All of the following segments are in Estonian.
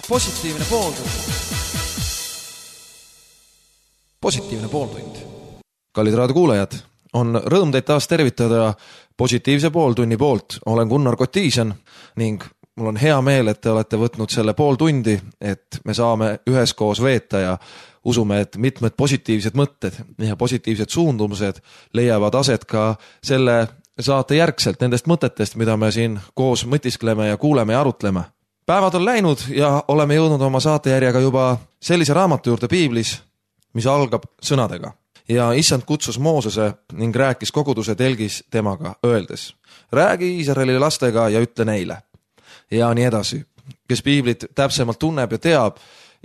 Positiivne pooltund. Positiivne pooltund. Kallid raadiokuulajad, on rõõm teid taas tervitada positiivse pooltunni poolt. Olen Gunnar Kotiisen ning mul on hea meel, et te olete võtnud selle pool tundi, et me saame üheskoos veeta ja usume, et mitmed positiivsed mõtted ja positiivsed suundumused leiavad aset ka selle saate järgselt nendest mõtetest, mida me siin koos mõtiskleme ja kuuleme ja arutleme. Päevad on läinud ja oleme jõudnud oma saatejärjega juba sellise raamatu juurde piiblis, mis algab sõnadega. Ja Issand kutsus Moosese ning rääkis koguduse telgis temaga, öeldes: räägi Iisraeli lastega ja ütle neile. Ja nii edasi. Kes piiblit täpsemalt tunneb ja teab,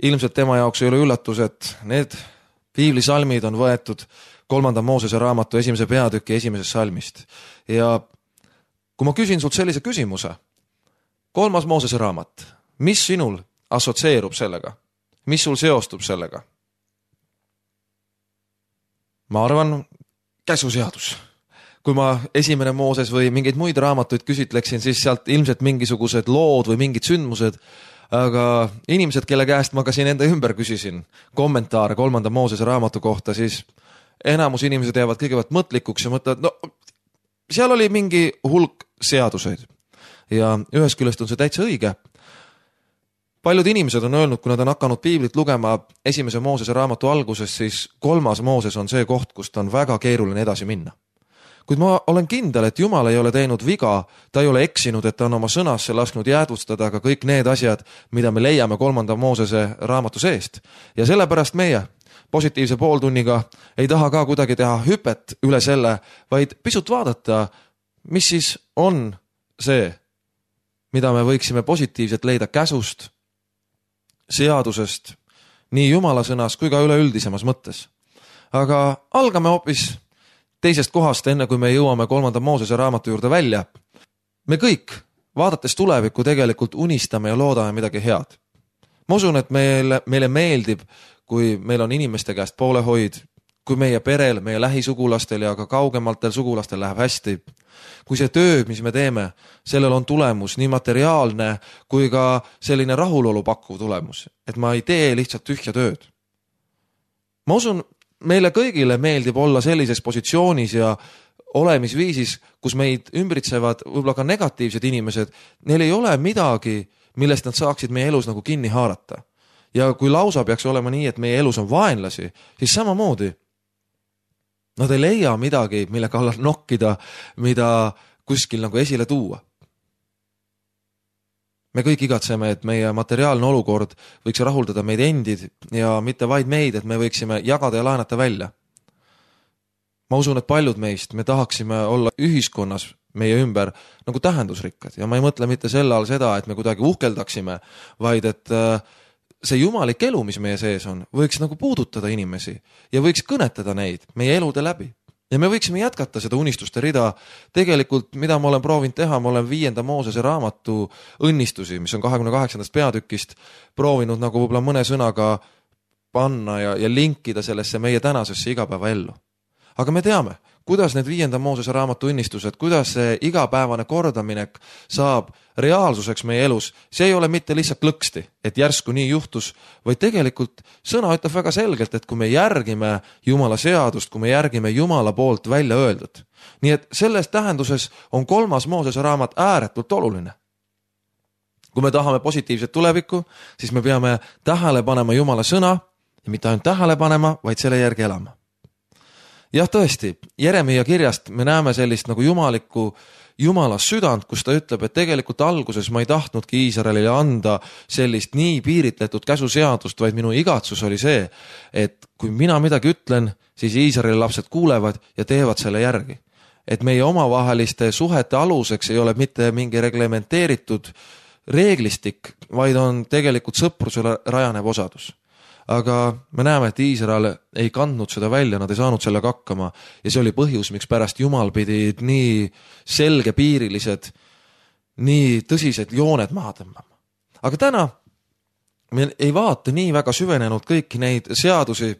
ilmselt tema jaoks ei ole üllatus, et need piiblisalmid on võetud 3. Moosese raamatu 1. peatüki 1. salmist. Ja kui ma küsin sult sellise küsimuse, 3. Moosese raamat, mis sinul assotseerub sellega? Mis sul seostub sellega? Ma arvan, käsuseadus. Kui ma 1. Mooses või mingeid muid raamatuid küsitleksin, siis sealt ilmselt mingisugused lood või mingid sündmused, aga inimesed, kelle käest ma ka siin enda ümber küsisin kommentaare 3. Moosese raamatu kohta, siis enamus inimesed jäävad kõigepealt mõtlikuks ja mõtlevad, no seal oli mingi hulk seaduseid. Ja ühest küljest on see täitsa õige. Paljud inimesed on öelnud, kui nad on hakanud piiblit lugema 1. Moosese raamatu alguses, siis 3. Mooses on see koht, kust on väga keeruline edasi minna. Kuid ma olen kindel, et Jumal ei ole teinud viga, ta ei ole eksinud, et ta on oma sõnasse lasknud jäädvustada ka kõik need asjad, mida me leiame 3. Moosese raamatu seest. Ja sellepärast meie positiivse pooltunniga ei taha ka kuidagi teha hüpet üle selle, vaid pisut vaadata, mis siis on see, mida me võiksime positiivselt leida käsust, seadusest, nii Jumala sõnas kui ka üleüldisemas mõttes. Aga algame hoopis teisest kohast, enne kui me jõuame 3. Moosese raamatu juurde välja. Me kõik, vaadates tulevikku, tegelikult unistame ja loodame midagi head. Ma usun, et meile meeldib, kui meil on inimeste käest poolehoid, kui meie perel, meie lähisugulastel ja ka kaugemaltel sugulastel läheb hästi. Kui see töö, mis me teeme, sellel on tulemus nii materiaalne kui ka selline rahulolu pakkuv tulemus, et ma ei tee lihtsalt tühja tööd. Ma usun, meile kõigile meeldib olla sellises positsioonis ja olemisviisis, kus meid ümbritsevad võib-olla ka negatiivsed inimesed, neil ei ole midagi, millest nad saaksid meie elus nagu kinni haarata. Ja kui lausa peaks olema nii, et meie elus on vaenlasi, siis samamoodi nad ei leia midagi, mille kallal nokkida, mida kuskil nagu esile tuua. Me kõik igatseme, et meie materiaalne olukord võiks rahuldada meid endid ja mitte vaid meid, et me võiksime jagada ja laenata välja. Ma usun, et paljud meist, me tahaksime olla ühiskonnas meie ümber nagu tähendusrikkad ja ma ei mõtle mitte selle all seda, et me kuidagi uhkeldaksime, vaid et see jumalik elu, mis meie sees on, võiks nagu puudutada inimesi ja võiks kõnetada neid meie elude läbi. Ja me võiksime jätkata seda unistuste rida. Tegelikult, mida ma olen proovinud teha, ma olen 5. Moosese raamatu õnnistusi, mis on 28. peatükist, proovinud nagu võib-olla mõne sõnaga panna ja linkida sellesse meie tänasesse igapäeva ellu. Aga me teame, kuidas need 5. Moosese raamatu õnnistused, kuidas see igapäevane kordaminek saab reaalsuseks meie elus. See ei ole mitte lihtsalt lõksti, et järsku nii juhtus, vaid tegelikult sõna ütleb väga selgelt, et kui me järgime Jumala seadust, kui me järgime Jumala poolt välja öeldud. Nii et selles tähenduses on 3. Moosese raamat ääretult oluline. Kui me tahame positiivset tulevikku, siis me peame tähele panema Jumala sõna ja mitte ainult tähele panema, vaid selle järgi elama. Jah, tõesti, Jeremia kirjast me näeme sellist nagu Jumala südant, kus ta ütleb, et tegelikult alguses ma ei tahtnudki Iisraelile anda sellist nii piiritletud käsuseadust, vaid minu igatsus oli see, et kui mina midagi ütlen, siis Iisraeli lapsed kuulevad ja teevad selle järgi. Et meie omavaheliste suhete aluseks ei ole mitte mingi reglementeeritud reeglistik, vaid on tegelikult sõprusele rajanev osadus. Aga me näeme, et Iisrael ei kandnud seda välja, nad ei saanud sellega hakkama ja see oli põhjus, miks pärast Jumal pidi nii selgepiirilised, nii tõsised jooned maha tõmbama. Aga täna me ei vaata nii väga süvenenud kõiki neid seadusi.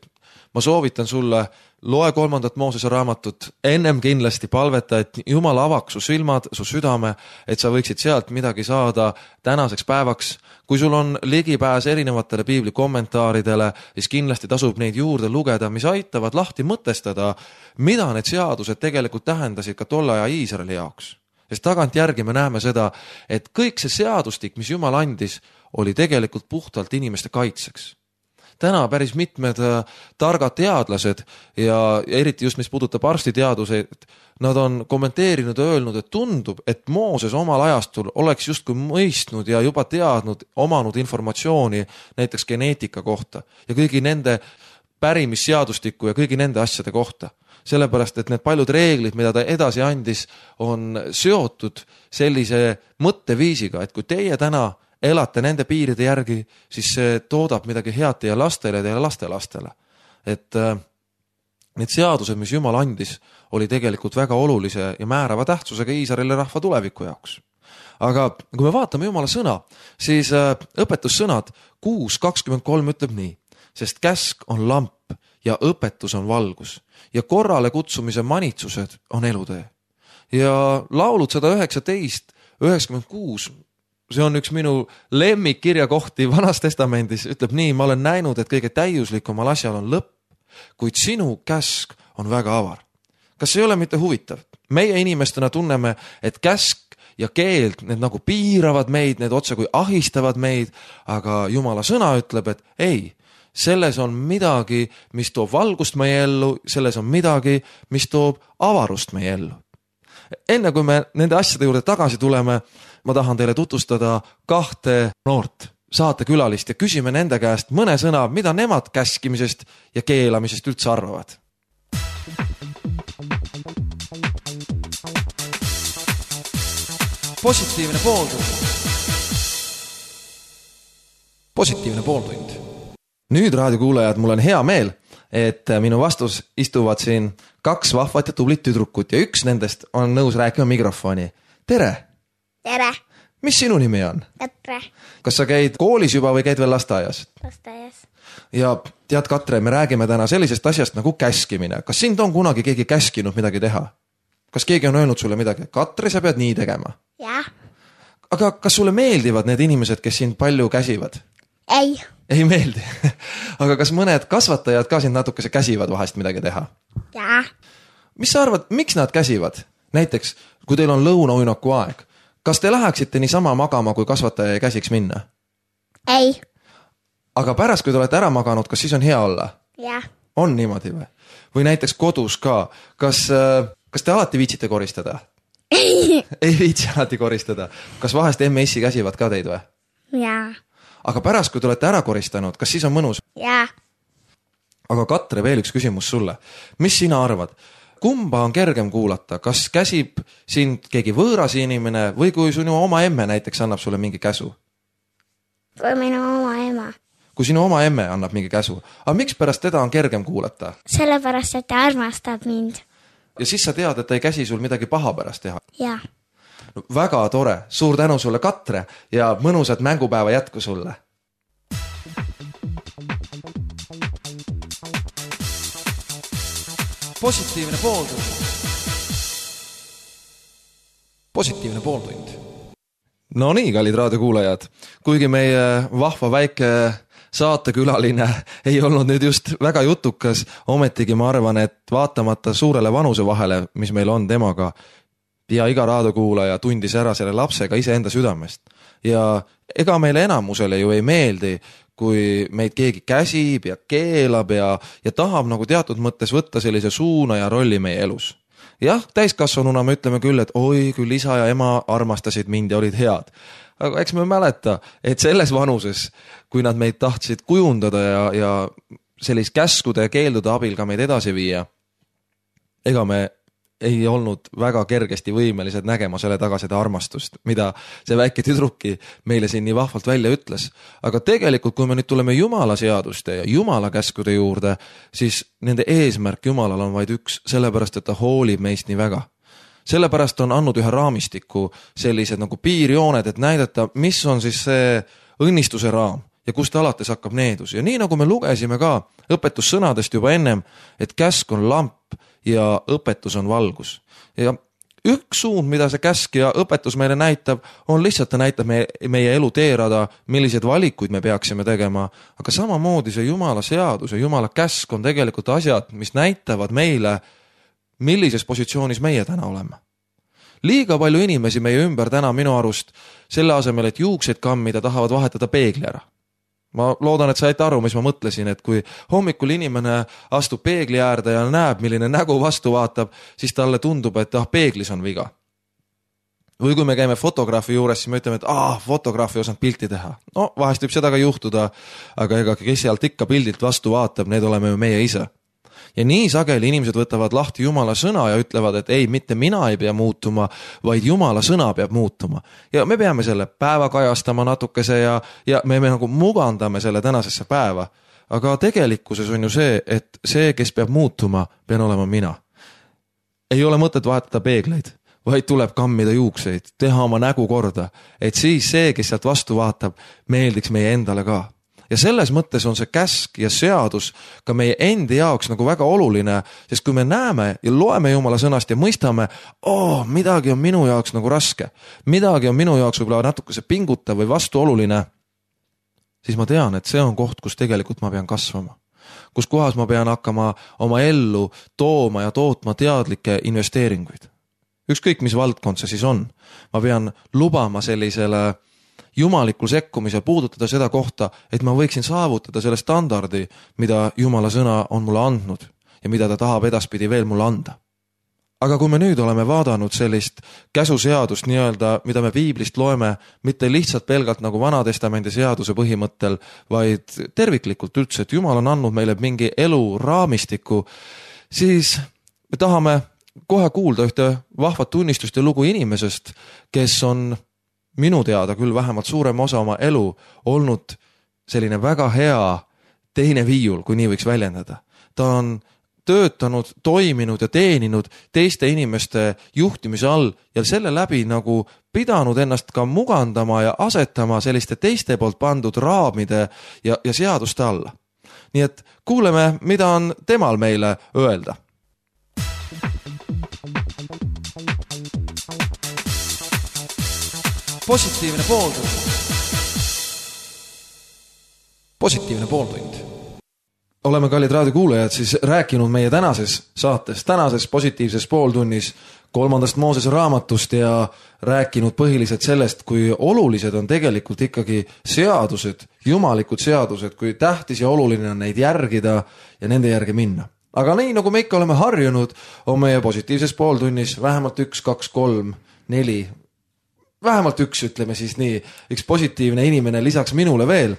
Ma soovitan sulle loe 3. Moosese raamatut, ennem kindlasti palveta, et Jumal avaks su silmad, su südame, et sa võiksid sealt midagi saada tänaseks päevaks. Kui sul on ligipääs erinevatele piibli kommentaaridele, siis kindlasti tasub neid juurde lugeda, mis aitavad lahti mõtestada, mida need seadused tegelikult tähendasid ka tolle aja Iisraeli jaoks. Sest tagantjärgi me näeme seda, et kõik see seadustik, mis Jumal andis, oli tegelikult puhtalt inimeste kaitseks. Täna päris mitmed targad teadlased ja eriti just mis puudutab arstiteaduseid, nad on kommenteerinud ja öelnud, et tundub, et Mooses omal ajastul oleks justkui mõistnud ja juba teadnud, omanud informatsiooni näiteks geneetika kohta ja kõigi nende pärimisseadustiku ja kõigi nende asjade kohta. Sellepärast, et need paljud reeglid, mida ta edasi andis, on seotud sellise mõtteviisiga, et kui teie täna elate nende piiride järgi, siis see toodab midagi head teie lastele ja teie lastelastele. Et need seadused, mis Jumal andis, oli tegelikult väga olulise ja määrava tähtsusega Iisraeli rahva tuleviku jaoks. Aga kui me vaatame Jumala sõna, siis õpetussõnad 6.23 ütleb nii, sest käsk on lamp ja õpetus on valgus ja korrale kutsumise manitsused on elutee. Ja laulud 119, 96, see on üks minu lemmikkirjakohti Vanas Testamendis, ütleb nii, ma olen näinud, et kõige täiuslikumal asjal on lõpp, kuid sinu käsk on väga avar. Kas see ei ole mitte huvitav? Meie inimestena tunneme, et käsk ja keeld, need nagu piiravad meid, need otse kui ahistavad meid, aga Jumala sõna ütleb, et ei, selles on midagi, mis toob valgust meie ellu, selles on midagi, mis toob avarust meie ellu. Enne kui me nende asjade juurde tagasi tuleme, ma tahan teile tutvustada 2 noort saatekülalist ja küsime nende käest mõne sõna, mida nemad käskimisest ja keelamisest üldse arvavad. Positiivne pooltund. Positiivne pooltund. Nüüd raadiokuulajad, mul on hea meel, et minu vastus istuvad siin 2 vahvat ja tublit tüdrukut ja üks nendest on nõus rääkima mikrofoni. Tere! Tere! Mis sinu nimi on? Katre. Kas sa käid koolis juba või käid veel lasteaias? Lasteaias. Ja tead, Katre, me räägime täna sellisest asjast nagu käskimine. Kas sind on kunagi keegi käskinud midagi teha? Kas keegi on öelnud sulle midagi? Katre, sa pead nii tegema. Jah. Aga kas sulle meeldivad need inimesed, kes sind palju käsivad? Ei. Ei meeldi. Aga kas mõned kasvatajad ka sind natukese käsivad vahest midagi teha? Jah. Mis sa arvad, miks nad käsivad? Näiteks, kui teil on lõunauinaku aeg, kas te läheksite niisama magama, kui kasvataja ei käsiks minna? Ei. Aga pärast, kui te olete ära maganud, kas siis on hea olla? Jah. On niimoodi või? Või näiteks kodus ka. Kas te alati viitsite koristada? Ei viitsi alati koristada. Kas vahest emme-issi käsivad ka teid või? Jah. Aga pärast, kui te olete ära koristanud, kas siis on mõnus? Jah. Aga Katre, veel üks küsimus sulle. Mis sina arvad? Kumba on kergem kuulata? Kas käsib sind keegi võõras inimene või kui sinu oma emme näiteks annab sulle mingi käsu? Kui minu oma ema. Kui sinu oma emme annab mingi käsu. Aga miks pärast teda on kergem kuulata? Sellepärast, et ta armastab mind. Ja siis sa tead, et ta ei käsi sul midagi paha pärast teha. Jah. No, väga tore. Suur tänu sulle, Katre, ja mõnusat mängupäeva jätku sulle. Positiivne pooltund. Positiivne pooltund. No nii, kallid raadiokuulajad, kuigi meie vahva väike saatekülaline ei olnud nüüd just väga jutukas, ometigi ma arvan, et vaatamata suurele vanuse vahele, mis meil on temaga, ja iga raadiokuulaja tundis ära selle lapsega iseenda südamest. Ja ega meile enamusele ju ei meeldi, kui meid keegi käsib ja keelab ja tahab nagu teatud mõttes võtta sellise suuna ja rolli meie elus. Jah, täiskasvanuna me ütleme küll, et oi, küll isa ja ema armastasid mind ja olid head. Aga eks me mäleta, et selles vanuses, kui nad meid tahtsid kujundada ja sellist käskude ja keeldude abil ka meid edasi viia, ega me ei olnud väga kergesti võimelised nägema selle taga seda armastust, mida see väike tüdruki meile siin nii vahvalt välja ütles. Aga tegelikult, kui me nüüd tuleme Jumala seaduste ja Jumala käskude juurde, siis nende eesmärk Jumalal on vaid üks, sellepärast, et ta hoolib meist nii väga. Sellepärast on andnud ühe raamistiku sellised nagu piirjooned, et näidata, mis on siis see õnnistuse raam ja kust alates hakkab needus. Ja nii nagu me lugesime ka õpetussõnadest juba ennem, et käsk on lamp ja õpetus on valgus. Ja üks suund, mida see käsk ja õpetus meile näitab, on lihtsalt ta näitab meie elu teerada, milliseid valikuid me peaksime tegema, aga samamoodi see Jumala seadus ja Jumala käsk on tegelikult asjad, mis näitavad meile, millises positsioonis meie täna oleme. Liiga palju inimesi meie ümber täna minu arust selle asemel, et juukseid kammida, tahavad vahetada peegli ära. Ma loodan, et saite aru, mis ma mõtlesin, et kui hommikul inimene astub peegli äärde ja näeb, milline nägu vastu vaatab, siis talle tundub, et peeglis on viga. Või kui me käime fotograafi juures, siis me ütleme, et fotograafi osanud pilti teha. No, vahest võib seda ka juhtuda, aga ega kes sealt ikka pildilt vastu vaatab, need oleme ju meie ise. Ja nii sageli inimesed võtavad lahti Jumala sõna ja ütlevad, et ei, mitte mina ei pea muutuma, vaid Jumala sõna peab muutuma. Ja me peame selle päeva kajastama natukese ja me nagu mugandame selle tänasesse päeva. Aga tegelikkuses on ju see, et see, kes peab muutuma, pean olema mina. Ei ole mõtet vahetada peegleid, vaid tuleb kammida juukseid, teha oma nägu korda, et siis see, kes sealt vastu vaatab, meeldiks meie endale ka. Ja selles mõttes on see käsk ja seadus ka meie endi jaoks nagu väga oluline, sest kui me näeme ja loeme Jumala sõnast ja mõistame, midagi on minu jaoks nagu raske, midagi on minu jaoks võib-olla natukese pingutav või vastuoluline, siis ma tean, et see on koht, kus tegelikult ma pean kasvama. Kus kohas ma pean hakkama oma ellu tooma ja tootma teadlikke investeeringuid. Ükskõik, mis valdkond see siis on. Ma pean lubama sellisele jumalikul sekkumisel puudutada seda kohta, et ma võiksin saavutada selle standardi, mida Jumala sõna on mulle andnud ja mida ta tahab edaspidi veel mulle anda. Aga kui me nüüd oleme vaadanud sellist käsuseadust nii-öelda, mida me piiblist loeme, mitte lihtsalt pelgalt nagu Vanatestamendi seaduse põhimõttel, vaid terviklikult üldse, et Jumal on andnud meile mingi elu raamistiku, siis me tahame kohe kuulda ühte vahvat tunnistust ja lugu inimesest, kes on minu teada küll vähemalt suurem osa oma elu olnud selline väga hea teine viiul, kui nii võiks väljendada. Ta on töötanud, toiminud ja teeninud teiste inimeste juhtimise all ja selle läbi nagu pidanud ennast ka mugandama ja asetama selliste teiste poolt pandud raamide ja seaduste alla. Nii et kuuleme, mida on temal meile öelda. Positiivne pooltund. Positiivne pooltund. Oleme, kallid raadiokuulajad, siis rääkinud meie tänases saates, tänases positiivses pooltunnis 3. Moosese raamatust ja rääkinud põhiliselt sellest, kui olulised on tegelikult ikkagi seadused, jumalikud seadused, kui tähtis ja oluline on neid järgida ja nende järgi minna. Aga nii, nagu me ikka oleme harjunud, on meie positiivses pooltunnis vähemalt 1, 2, 3, 4, vähemalt 1, ütleme siis nii, üks positiivne inimene lisaks minule veel,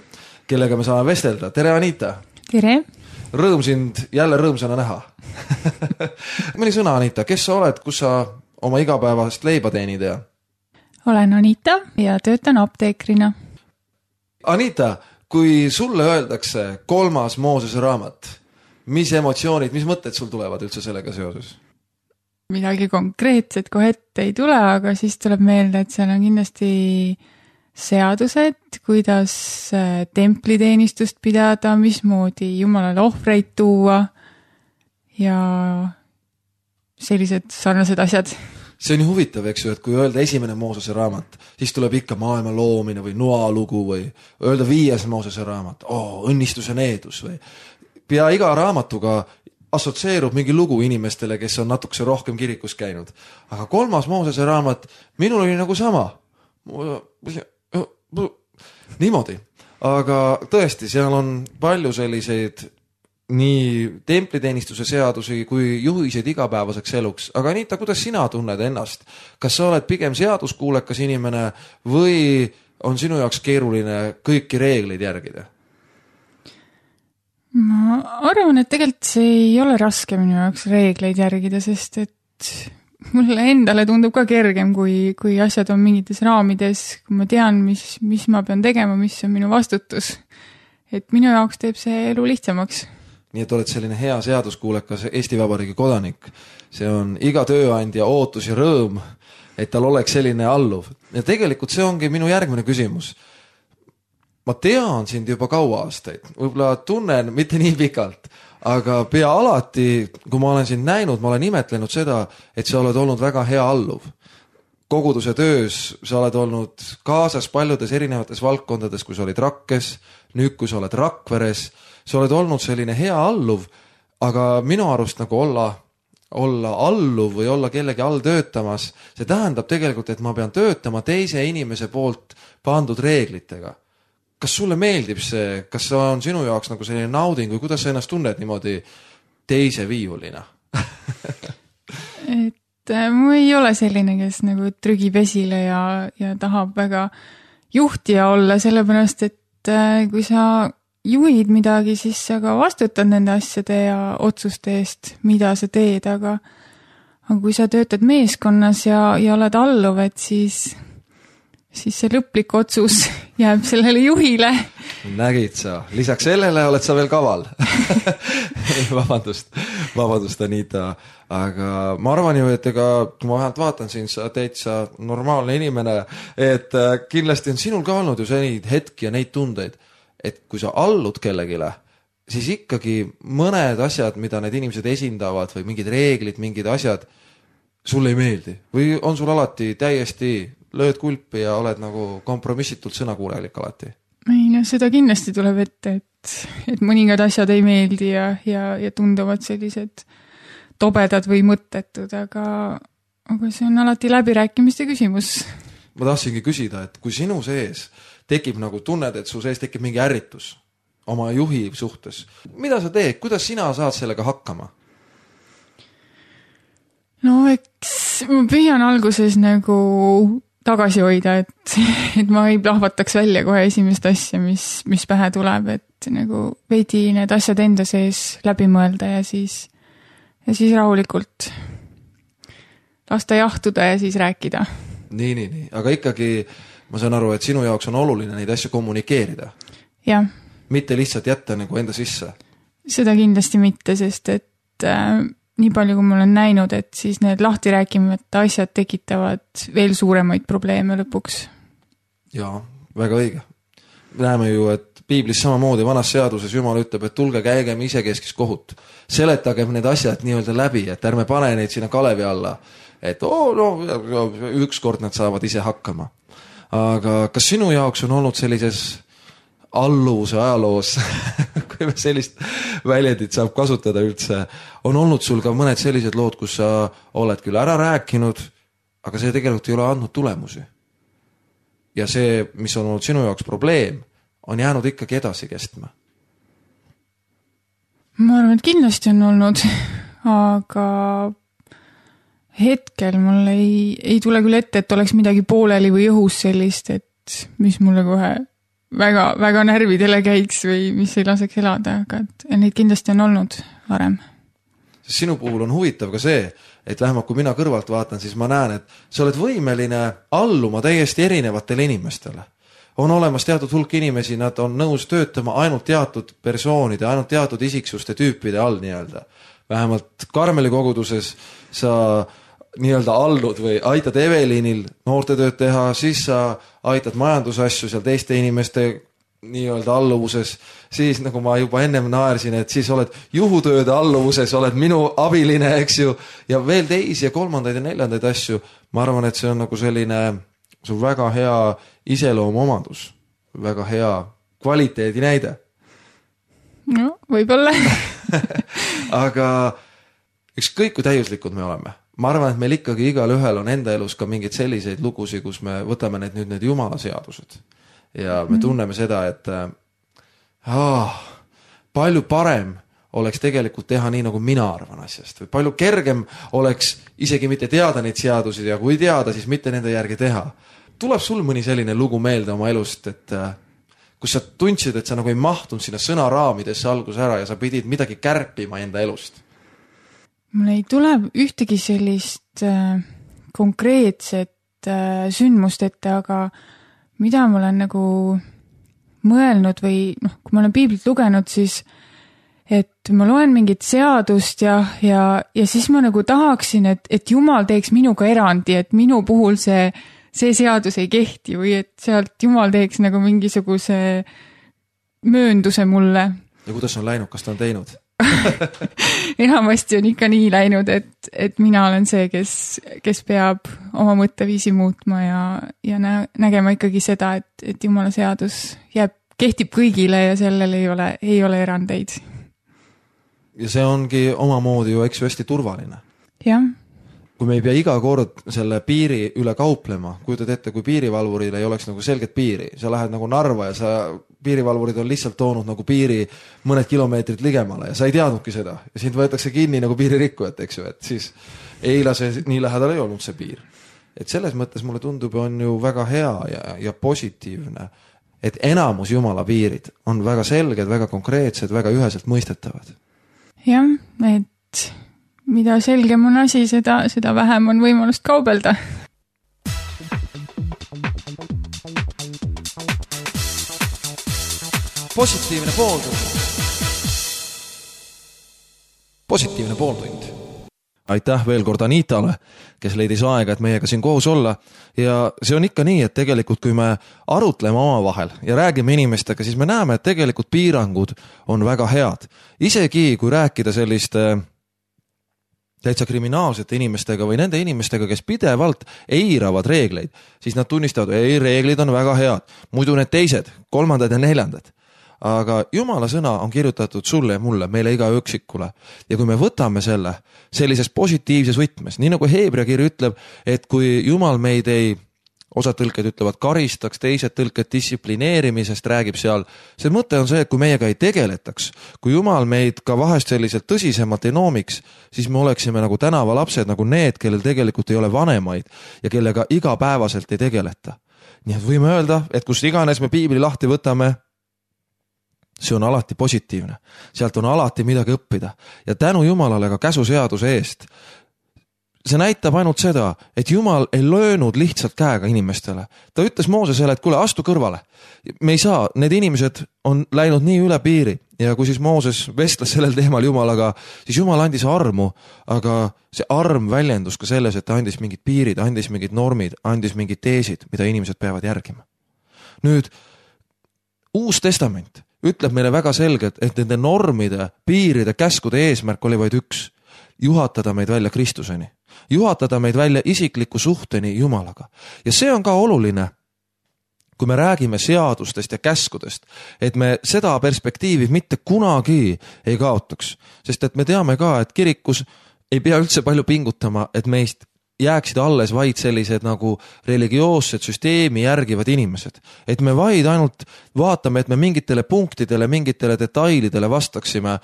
kellega me saame vestelda. Tere, Anita! Tere! Rõõm sind jälle rõõmsana näha. Mõni sõna, Anita, kes sa oled, kus sa oma igapäevast leiba teenid? Olen Anita ja töötan apteekrina. Anita, kui sulle öeldakse 3. Moosese raamat, mis emotsioonid, mis mõtted sul tulevad üldse sellega seoses? Midagi konkreetset kohe ette ei tule, aga siis tuleb meelde, et seal on kindlasti seadused, kuidas templiteenistust pidada, mismoodi Jumalale ohvreid tuua ja sellised sarnased asjad. See on ju huvitav, eks ju, et kui öelda 1. Moosese raamat, siis tuleb ikka maailma loomine või Noa lugu või öelda 5. Moosese raamat, õnnistus ja needus või pea iga raamatuga assotsieerub mingi lugu inimestele, kes on natukese rohkem kirikus käinud. Aga 3. Moosese raamat, minul oli nagu sama. Niimoodi. Aga tõesti, seal on palju selliseid nii templiteenistuse seadusi kui juhiseid igapäevaseks eluks. Aga Anita, kuidas sina tunned ennast? Kas sa oled pigem seaduskuulekas inimene või on sinu jaoks keeruline kõiki reegleid järgida? Ma arvan, et tegelikult see ei ole raske minu jaoks reegleid järgida, sest et mulle endale tundub ka kergem, kui asjad on mingites raamides, kui ma tean, mis ma pean tegema, mis on minu vastutus. Et minu jaoks teeb see elu lihtsamaks. Nii et oled selline hea seaduskuulekas Eesti Vabariigi kodanik. See on iga tööandja ootus ja rõõm, et tal oleks selline alluv. Ja tegelikult see ongi minu järgmine küsimus. ma tean sind juba kaua aastaid, võib-olla tunnen mitte nii pikalt, aga pea alati, kui ma olen sind näinud, ma olen imetlenud seda, et sa oled olnud väga hea alluv. Koguduse töös sa oled olnud kaasas paljudes erinevates valdkondades, kui sa olid Rakkes, nüüd kui sa oled Rakveres, sa oled olnud selline hea alluv, aga minu arust nagu olla alluv või olla kellegi all töötamas, see tähendab tegelikult, et ma pean töötama teise inimese poolt pandud reeglitega. Kas sulle meeldib see, kas see on sinu jaoks nagu selline nauding või kuidas sa ennast tunned niimoodi teise viiulina? Mu ei ole selline, kes nagu trügib esile ja tahab väga juhtija olla, sellepärast, et kui sa juhid midagi, siis sa ka vastutad nende asjade ja otsuste eest, mida sa teed, aga kui sa töötad meeskonnas ja oled alluv, et siis see lõplik otsus jääb sellele juhile. Nägid sa, lisaks sellele oled sa veel kaval. Vabandust, Anita. Aga ma arvan ju, et kui ma vähemalt vaatan siin, sa täitsa normaalne inimene, et kindlasti on sinul ka olnud ju neid hetki ja neid tundeid, et kui sa allud kellegile, siis ikkagi mõned asjad, mida need inimesed esindavad või mingid reeglid, mingid asjad, sulle ei meeldi. Või on sul alati täiesti lööd kulpi ja oled nagu kompromissitult sõnakuulelik alati? Ei, no seda kindlasti tuleb ette, et mõningad asjad ei meeldi ja tunduvad sellised tobedad või mõttetud, aga see on alati läbirääkimiste küsimus. Ma tahtsingi küsida, et kui sinu sees tekib nagu tunned, et su sees tekib mingi ärritus oma juhi suhtes, mida sa teed, kuidas sina saad sellega hakkama? No eks ma püüan alguses nagu tagasi hoida, et ma ei plahvataks välja kohe esimest asja, mis pähe tuleb, et nagu veidi need asjad enda sees läbi mõelda ja siis rahulikult lasta jahtuda ja siis rääkida. Nii. Aga ikkagi ma saan aru, et sinu jaoks on oluline neid asju kommunikeerida. Jah. Mitte lihtsalt jätta nagu enda sisse. Seda kindlasti mitte, sest et nii palju, kui ma olen näinud, et siis need lahti rääkimata asjad tekitavad veel suuremaid probleeme lõpuks. Jaa, väga õige. Näeme ju, et Piiblis samamoodi vanas seaduses Jumal ütleb, et tulge käigem isekeskis kohut. Seletagem need asjad nii-öelda läbi, et ärme pane neid sinna kalevi alla. Et ükskord nad saavad ise hakkama. Aga kas sinu jaoks on olnud sellises alluvuse ajaloos, kui me sellist väljendit saab kasutada üldse, on olnud sul ka mõned sellised lood, kus sa oled küll ära rääkinud, aga see tegelikult ei ole andnud tulemusi. Ja see, mis on olnud sinu jaoks probleem, on jäänud ikkagi edasi kestma. Ma arvan, et kindlasti on olnud, aga hetkel mul ei tule küll ette, et oleks midagi pooleli või õhus sellist, et mis mulle kohe väga, väga närvidele käiks või mis ei laseks elada, aga neid kindlasti on olnud varem. Sinu puhul on huvitav ka see, et vähemalt kui mina kõrvalt vaatan, siis ma näen, et sa oled võimeline alluma täiesti erinevatele inimestele. On olemas teatud hulk inimesi, nad on nõus töötama ainult teatud persoonide, ainult teatud isiksuste tüüpide all nii-öelda. Vähemalt Karmeli koguduses sa nii-öelda allud või aitad Evelinil noortetööd teha, siis sa aitad majandusasju seal teiste inimeste nii-öelda alluvuses, siis nagu ma juba ennem naersin, et siis oled juhutööde alluvuses, oled minu abiline, eks ju, ja veel teisi ja kolmandaid ja neljandaid asju. Ma arvan, et see on nagu selline väga hea iseloomuomandus, väga hea kvaliteedi näide. No, võib-olla. Aga ükskõik kui täiuslikud me oleme. Ma arvan, et meil ikkagi igal ühel on enda elus ka mingeid selliseid lugusid, kus me võtame need Jumala seadused. Ja me tunneme seda, et palju parem oleks tegelikult teha nii, nagu mina arvan asjast. Või palju kergem oleks isegi mitte teada neid seadusid ja kui teada, siis mitte nende järgi teha. Tuleb sul mõni selline lugu meelde oma elust, et kus sa tundsid, et sa nagu ei mahtunud sinna sõnaraamidesse algus ära ja sa pidid midagi kärpima enda elust? Mul ei tule ühtegi sellist konkreetset sündmust ette, aga mida ma olen nagu mõelnud või kui ma olen piiblit lugenud, siis et ma loen mingit seadust ja siis ma nagu tahaksin, et Jumal teeks minuga erandi, et minu puhul see see seadus ei kehti või et sealt Jumal teeks nagu mingisuguse möönduse mulle. Ja kuidas on läinud, kas ta on teinud? Enamasti on ikka nii läinud, et mina olen see, kes peab oma mõtteviisi muutma ja nägema ikkagi seda, et Jumala seadus kehtib kõigile ja sellel ei ole erandeid. Ja see ongi omamoodi ju eks hästi turvaline. Jah. Kui me ei pea iga kord selle piiri üle kauplema, kujutad ette, kui piirivalvuril ei oleks nagu selget piiri, sa lähed nagu Narva ja piirivalvurid on lihtsalt toonud nagu piiri mõned kilomeetrid ligemale ja sa ei teadnudki seda ja sind võetakse kinni nagu piiririkkujat, eks ju, et siis eila see nii lähedal ei olnud see piir. Et selles mõttes mulle tundub, on ju väga hea ja positiivne, et enamus Jumala piirid on väga selged, väga konkreetsed, väga üheselt mõistetavad. Jah, et mida selgem on asi, seda vähem on võimalust kaubelda. Positiivne pooltund. Aitäh veel kord Anitale, kes leidis aega, et meiega siin koos olla. Ja see on ikka nii, et tegelikult kui me arutleme omavahel ja räägime inimestega, siis me näeme, et tegelikult piirangud on väga head. Isegi kui rääkida selliste täitsa kriminaalsete inimestega või nende inimestega, kes pidevalt eiravad reegleid, siis nad tunnistavad, ei, reeglid on väga head. Muidu need teised, kolmandad ja neljandad. Aga Jumala sõna on kirjutatud sulle ja mulle, meile iga üksikule. Ja kui me võtame selle sellises positiivses võtmes, nii nagu Heebrea kiri ütleb, et kui Jumal meid ei, osad tõlked ütlevad karistaks, teised tõlked distsiplineerimisest räägib seal, see mõte on see, et kui meiega ei tegeletaks, kui Jumal meid ka vahest selliselt tõsisemalt ei noomiks, siis me oleksime nagu tänavalapsed, nagu need, kellel tegelikult ei ole vanemaid ja kellega igapäevaselt ei tegeleta. Nii et võime öelda, et kus iganes me piibli lahti võtame, see on alati positiivne. Sealt on alati midagi õppida. Ja tänu Jumalale ka käsuseaduse eest. See näitab ainult seda, et Jumal ei löönud lihtsalt käega inimestele. Ta ütles Moosesele, et kuule, astu kõrvale. Me ei saa, need inimesed on läinud nii üle piiri. Ja kui siis Mooses vestles sellel teemal Jumalaga, siis Jumal andis armu, aga see arm väljendus ka selles, et ta andis mingid piirid, andis mingid normid, andis mingid teesid, mida inimesed peavad järgima. Nüüd, Uus Testament ütleb meile väga selgelt, et nende normide, piiride, käskude eesmärk oli vaid üks. Juhatada meid välja Kristuseni. Juhatada meid välja isikliku suhteni Jumalaga. Ja see on ka oluline, kui me räägime seadustest ja käskudest, et me seda perspektiivi mitte kunagi ei kaotaks. Sest et me teame ka, et kirikus ei pea üldse palju pingutama, et meist jääksid alles vaid sellised nagu religioossed süsteemi järgivad inimesed. Et me vaid ainult vaatame, et me mingitele punktidele, mingitele detailidele vastaksime,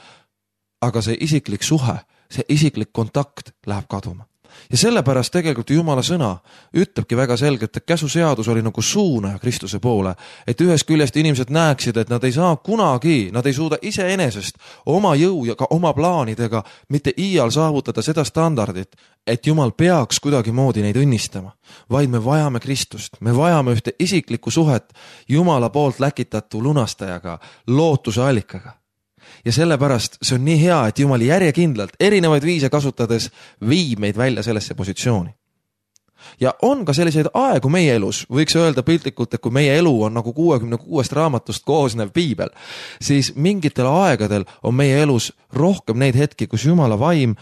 aga see isiklik suhe, see isiklik kontakt läheb kaduma. Ja sellepärast tegelikult Jumala sõna ütlebki väga selgelt, et käsuseadus oli nagu suunaja Kristuse poole, et ühest küljest inimesed näeksid, et nad ei saa kunagi, nad ei suuda iseenesest oma jõu ja ka oma plaanidega mitte iial saavutada seda standardit, et Jumal peaks kuidagi moodi neid õnnistama, vaid me vajame Kristust, me vajame ühte isiklikku suhet Jumala poolt läkitatu lunastajaga, lootuse allikaga. Ja sellepärast see on nii hea, et Jumal järjekindlalt erinevaid viise kasutades viib meid välja sellesse positsiooni. Ja on ka selliseid aegu meie elus, võiks öelda piltlikult, et kui meie elu on nagu 66 raamatust koosnev piibel, siis mingitel aegadel on meie elus rohkem neid hetki, kus Jumala vaim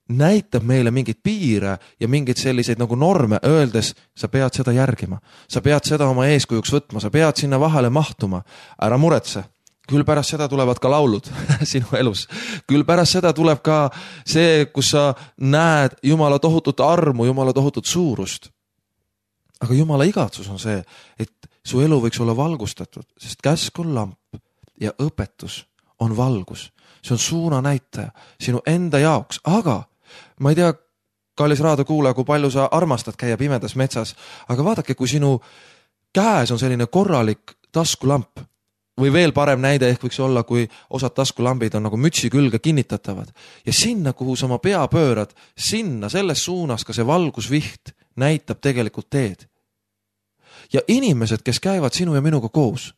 näitab meile mingid piire ja mingid selliseid nagu norme, öeldes, sa pead seda järgima, sa pead seda oma eeskujuks võtma, sa pead sinna vahele mahtuma, ära muretse. Küll pärast seda tulevad ka laulud sinu elus. Küll pärast seda tuleb ka see, kus sa näed Jumala tohutut armu, Jumala tohutut suurust. Aga Jumala igatsus on see, et su elu võiks olla valgustatud, sest käsk on lamp ja õpetus on valgus. See on suunanäitaja sinu enda jaoks. Aga ma ei tea, kallis raadiokuulaja, kui palju sa armastad käia pimedas metsas, aga vaadake, kui sinu käes on selline korralik taskulamp, või veel parem näide ehk võiks olla, kui osad taskulambid on nagu mütsi külge kinnitatavad. Ja sinna, kuhu sa oma pea pöörad, sinna, selles suunas ka see valgusviht näitab tegelikult teed. Ja inimesed, kes käivad sinu ja minuga koos,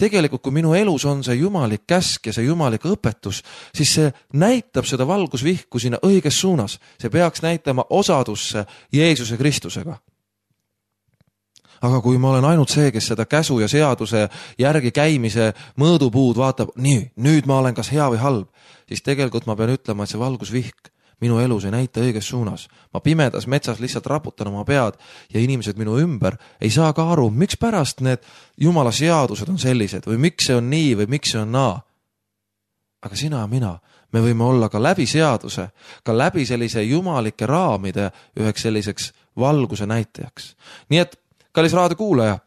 tegelikult kui minu elus on see jumalik käsk ja see jumalik õpetus, siis see näitab seda valgusvihku sinna õiges suunas. See peaks näitama osadusse Jeesuse Kristusega. aga kui ma olen ainult see, kes seda käsu ja seaduse järgi käimise mõõdupuud vaatab, nii, nüüd ma olen kas hea või halb, siis tegelikult ma pean ütlema, et see valgusvihk minu elus ei näita õiges suunas. Ma pimedas metsas lihtsalt raputan oma pead ja inimesed minu ümber ei saa ka aru, miks pärast need Jumala seadused on sellised või miks see on nii või miks see on naa. Aga sina ja mina, me võime olla ka läbi seaduse, ka läbi sellise jumalike raamide üheks selliseks valguse näitajaks. Nii et, kallis raadiokuulaja,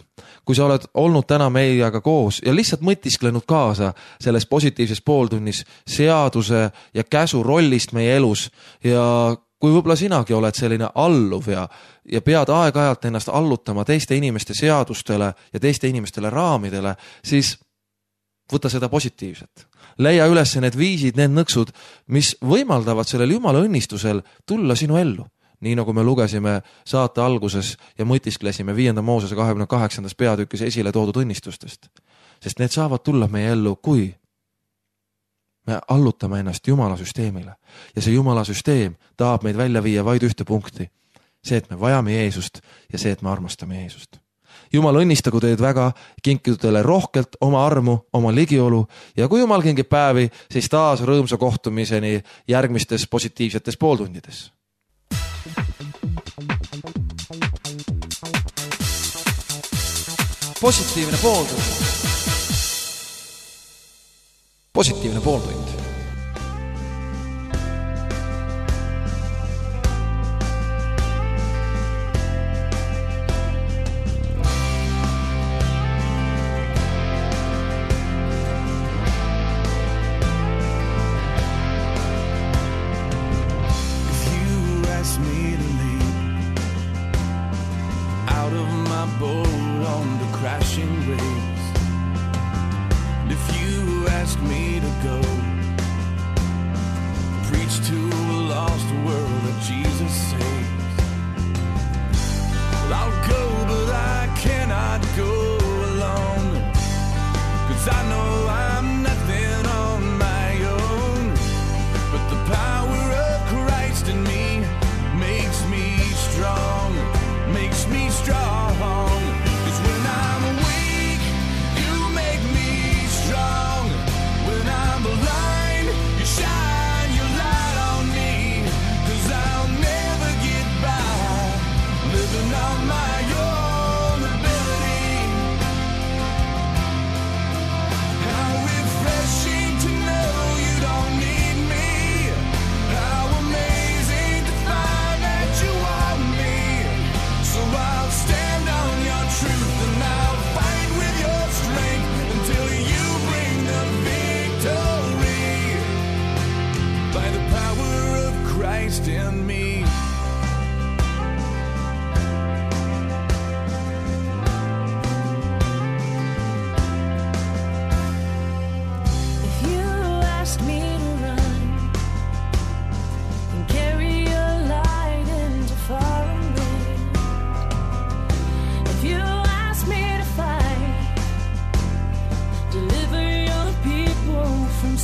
kui sa oled olnud täna meiega koos ja lihtsalt mõtisklenud kaasa selles positiivses pooltunnis seaduse ja käsu rollist meie elus ja kui võib-olla sinagi oled selline alluv ja pead aeg-ajalt ennast allutama teiste inimeste seadustele ja teiste inimestele raamidele, siis võta seda positiivset. Leia üles need viisid, need nõksud, mis võimaldavad sellel Jumala õnnistusel tulla sinu ellu. Nii nagu me lugesime saate alguses ja mõtisklesime 5. Moosese 28. peatükis esile toodud õnnistustest. Sest need saavad tulla meie ellu, kui me allutame ennast Jumala süsteemile. Ja see Jumala süsteem tahab meid välja viia vaid ühte punkti. See, et me vajame Jeesust ja see, et me armastame Jeesust. Jumal õnnistagu teid väga, kinkidu teile rohkelt oma armu, oma ligiolu ja kui Jumal kingib päevi, siis taas rõõmsa kohtumiseni järgmistes positiivsetes pooltundides. Positiivne pooltund. Positiivne pooltund.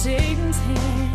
Satan's hand.